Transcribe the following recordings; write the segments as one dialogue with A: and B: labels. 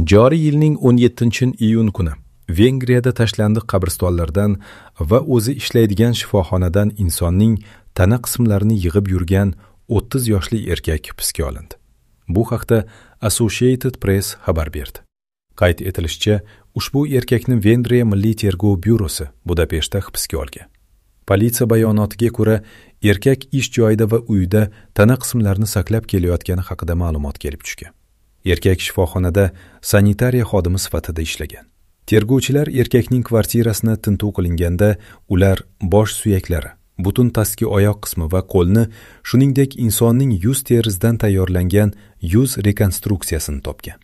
A: Joriy yilning 17-iyun kuni Vengriyada tashlandiq qabristonlardan va o'zi ishlaydigan shifoxonadan insonning tana qismlarini yig'ib yurgan 30 yoshli erkak hibsga olindi. Bu haqda Associated Press xabar berdi. Qayd etilishicha, ushbu erkakni Vengriya Milliy tergov byurosi Budapeshtda hibsga olgan. Politsiya bayonotiga ko'ra, erkak ish joyida va uyida tana qismlarini saqlab kelayotgani haqida ma'lumot kelib tushgan. Erkak shifoxonada sanitariya xodimi sifatida ishlagan. Tergovchilar erkakning kvartirasini tintuv qilinganda, ular bosh suyaklari, butun pastki oyoq qismi va qo'lni, shuningdek insonning yuz terisidan tayyorlangan yuz rekonstruksiyasini topgan.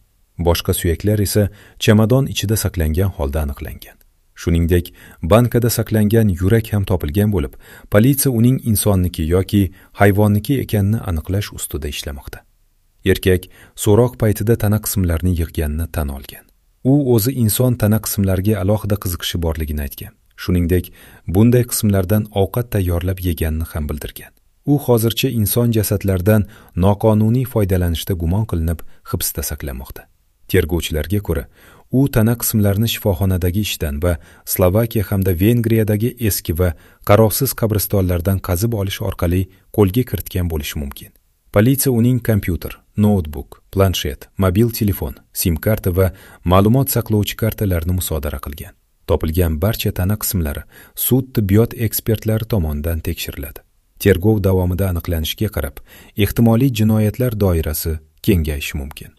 A: Boshqa suyaklar esa chamadon ichida saqlangan holda aniqlangan. Shuningdek, bankada saqlangan yurak ham topilgan bo'lib, politsiya uning insonniki yoki hayvonniki ekanini aniqlash ustida ishlamoqda. Erkak so'roq paytida tana qismlarini yig'ganini tan olgan. U o'zi inson tana qismlariga alohida qiziqishi borligini aytgan. Shuningdek, bunday qismlardan ovqat tayyorlab yeganini ham bildirgan. U hozircha inson jasadlaridan noqonuniy foydalanishda gumon qilinib, hibsda saqlanmoqda. Tergovchilarga ko'ra, u tana qismlarini shifoxonadagi ishdan va Slovakiya hamda Vengriyadagi eski va qarovsiz qabristonlardan qazib olish orqali qo'lga kiritgan bo'lishi mumkin. Politsiya uning kompyuter, noutbuk, planshet, mobil telefon, sim karta va ma'lumot saqlovchi kartalarini musodara qilgan. Topilgan barcha tana qismlari sud tibbiyot ekspertlari tomonidan tekshiriladi. Tergov davomida aniqlanishiga qarab, ehtimoliy jinoyatlar doirasi kengayishi mumkin.